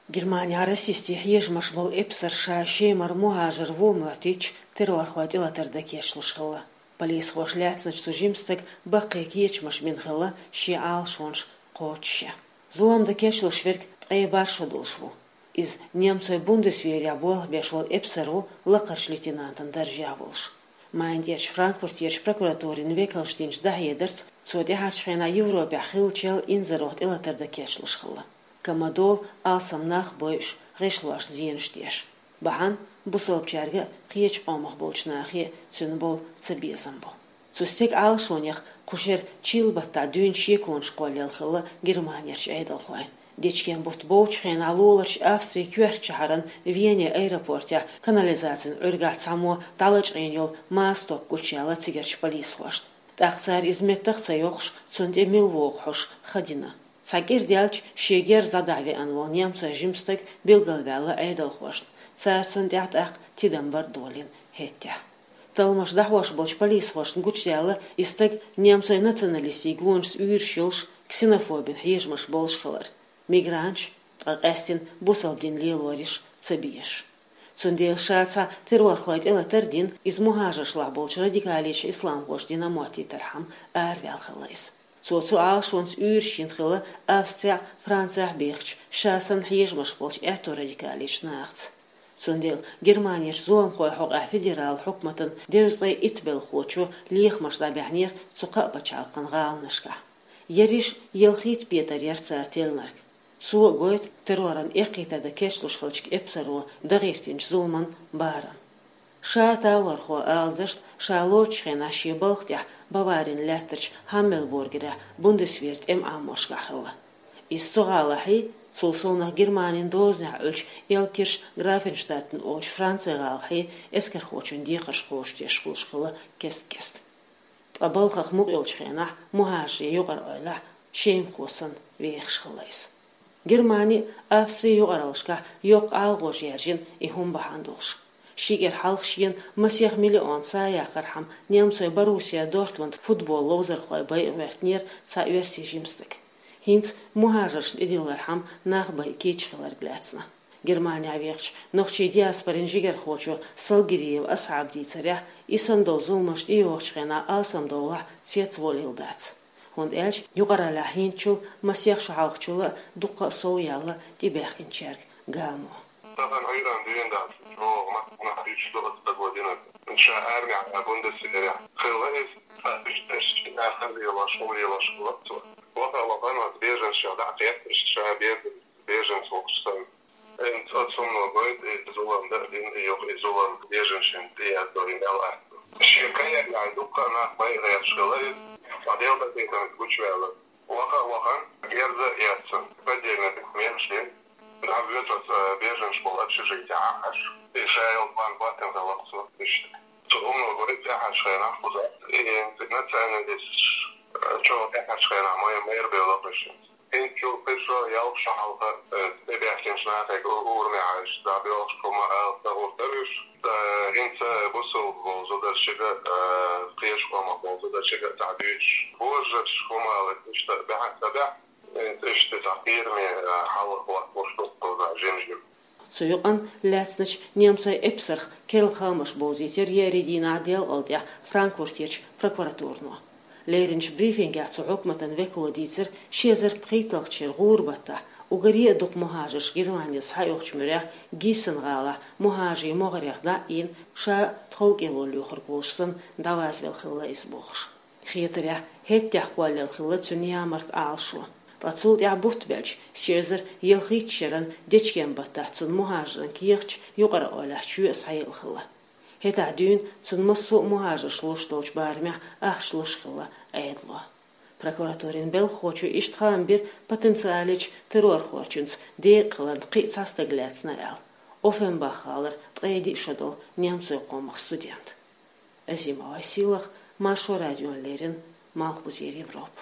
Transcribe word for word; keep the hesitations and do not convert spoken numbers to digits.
Германехь расистийн хьежамаш болу эпсар ша Шемара мухӀажар ву моьттуьйтуш, террорхой тӀелатар дан кечлуш хилла. Полисхоша лаьцначу цу жимчу стага баккхий кечамаш бина хилла шен Ӏалашонаш кхочушъян. Зулам дан кечлуш верг ткъе бархӀ шо долуш ву. Иза немцойн бундесверехь болх беш волу эпсар ву лакхарчу лейтенантан даржехь волуш. Майнахь Франкфуртерчу прокуратурин векалша динчу дӀахьедарца, цо тӀаьхьарчу хенахь Европехь хиллачул инзарах тӀелатар дан кечлуш хилла. Кама долу алсам нах бойуш, гӀишлошна зенаш деш. Бахьана бусалбачаьрга а, кхечу къомах болчу нахе а цуьнан болу цабезам бу. Цу стеган Ӏалашонех кху шеран чилла баттахь дуьйна шеконаш кхоллаелла хилла Германерчу Ӏедалхойн. Дечкен-бутт бовлучу хенахь луларчу Австрин коьртачу шахьаран Вене аэропортехь канализацин Ӏуьргахь цхьаммо дӀалачкъийна йолу маса топ гучуяьлла цигарчу полисхошна. ТӀаккха цара иза меттах а ца йоккхуш, цунна тӀе мила вогӀу хьожуш, ха дина. Цхьа кӀира даьлча, шен герз дӀадахьа веана волу немцойн жима стаг билгалваьлла Ӏедалхошна, цара цунна тӀехь тӀаккха тидам бар а долийна хӀеттехь. Талламаш дӀахьош болчу полисхошна гучудаьлла, и стаг немцойн националистийн гонашца уьйраш йолуш, ксенофобин хьежамаш болуш хилар, мигранташ, ткъа къаьсттина бусалба дин лелораш ца безаш. Цундела ша цхьа террорхойн тӀелатар а дина, иза мухӀажаршлахь болчу радикалечу исламхоша дина моттийтархьама араваьлла хилла иза. Цо цу Ӏалашонца уьйраш йина хилла Австрехь, Францехь бехачу, ша санна хьежамаш болчу аьтту радикалечу нахаца. Цундела Германерчу зуламхойн хьокъехь федералан хьукматан дезткъе итт белхахочо лехамаш дӀабаьхьнера цу кхаа пачхьалкхан гӀаланашкахь. Ерриш ялхитта петар яра цара теллинарг. Цо а гойту терроран эккхийтар дан кечлуш хиллачу эпсаро дан гӀиртинчу зуламан барам. Ша талорхо ала дашна, ша лоцучу хенахь шен балха тӀехь Баварин лаьттарчу Хаммельбургерехь Бундесверан тӀеман Ӏаморшкахь хилла. Иза цу гӀалахьий, цул совнах Германин дозанехь Ӏуьллучу Эльбкирхен-Графенштадтен олучу Францин гӀалахьий эскархочун декхарш кхочушдеш хуьлуш хилла кест-кеста. Ткъа балхах мукъа йолчу хенахь мухӀажарийн юкъара эвлахь, шемахо санна, вехаш хилла иза. Германи а, Австри а юкъараллашкахь йоккха ӀалагӀожа яьржина и хӀума бахьана долуш. Ши кӀира хьалха шена масех миллион са яккхархьама немцойн Боруссия Дортмунд футбол ловзархойн байа гӀоьртинера цхьа оьрсийн жима стаг. ХӀинца мухӀажаршна тӀедиллархьама нах байа кийча хиларг лаьцна. Германехь вехачу нохчийн диаспорин жигархочо Салгириев Асхьаба дийцарехь, и санна долу зуламаш тӀейогӀучу хенахь алсамдовлахь цецволийла дац. ХӀунда аьлча юкъараллехь хӀинцачул, масех шо хьалхачул а дуккха а сов яьлла тӀебаьхкинчаьрга гамо. Тахана Ӏуьйранна дуьйна дац, чӀогӀа маттанах дуьйцуш ду оцу стага динарг. Ша армехь, Бундесверехь хилла иза, цхьа уьш тешаш, нахана лелош, хӀума лелош хилла цо. Ваха-вахана оцу беженцех дӀа а кхетташ, ша беженец, беженец волуш санна. ХӀинца оцу хӀумано гойту и зулам дан а дина, и юха и зулам беженцашна тӀеяздо и мел атта. Шен карьерехь дуккха а нах байа гӀерташ хилла иза, ткъа Делан къинхетамца гучуваьлла. Ваха а вахана, герз а эцна, поддельный документаш дина, дӀавоьду оцу беженцаш болу общежитехь Ӏаш. И ша йолу бан хӀоттийна хилла цо иштта. Цу хӀумано гойту тӀаьхьарчу хенахь кхузахь и националисташ, чӀогӀа тӀаьхьарчу хенахь май-, майра бевлла кхуьссинца. ХӀинцачул кхин шо, ялх шо хьалха, э, тӀебаьхкинчу нахе у-, урамехь Ӏаш дӀабоьлхуш хӀума ала ца гӀур дара уьш. Ткъа хӀинца бусалба волу зударшка а, э, кхечу къомах волу зударшка а цхьа дуьйцуш, божарш хӀума ала иштта баьхьа ца баьхьа, хӀинца иштта цхьа кхераме, э, хьал хӀотталуш ду кхузахь жим-жима. Цу юкъанна лаьцначу немцойн эпсарх керла хаамаш бовзийтира еарин дийнахь делкъал тӀехь Франкфуртерчу прокуратурано. Леринчу брифингехь цу хьукматан векало дийцира, ши эзар пхийтталгӀачу шеран гӀуран баттахь уггаре а дукха мухӀажарш Германера схьаоьхучу муьрехь Гиссен-гӀалахь мухӀажарийн могӀарех дӀа а ийна, ша тхов кӀело лоьхург волуш санна, дӀавазвелла хилла иза бохуш. Хетарехь, хӀеттехь кхоллаелла хилла цуьнан ямарта Ӏалашо. Ткъа цул тӀаьхьа бутт баьлча, ши эзар ялхитталгӀачу шеран дечкен баттахь цунна мухӀажаран кехаташ юкъара эвлахь чоь а схьаелла хилла. ХӀетахь дуьйна цунна массо а мухӀажарш луш долчу барамехь ахча луш хилла Ӏедало. Прокуратурин белхахочо иштта хаам бира потенциалечу террорхочуьнца декъахиларна кхин а цхьа стаг лаьцна аьлла, Оффенбах-гӀалара ткъе диъ шо долу немцойн къомах студент. Азимова Сийлаха, Маршо радиона леррина, Малхбузера Европа.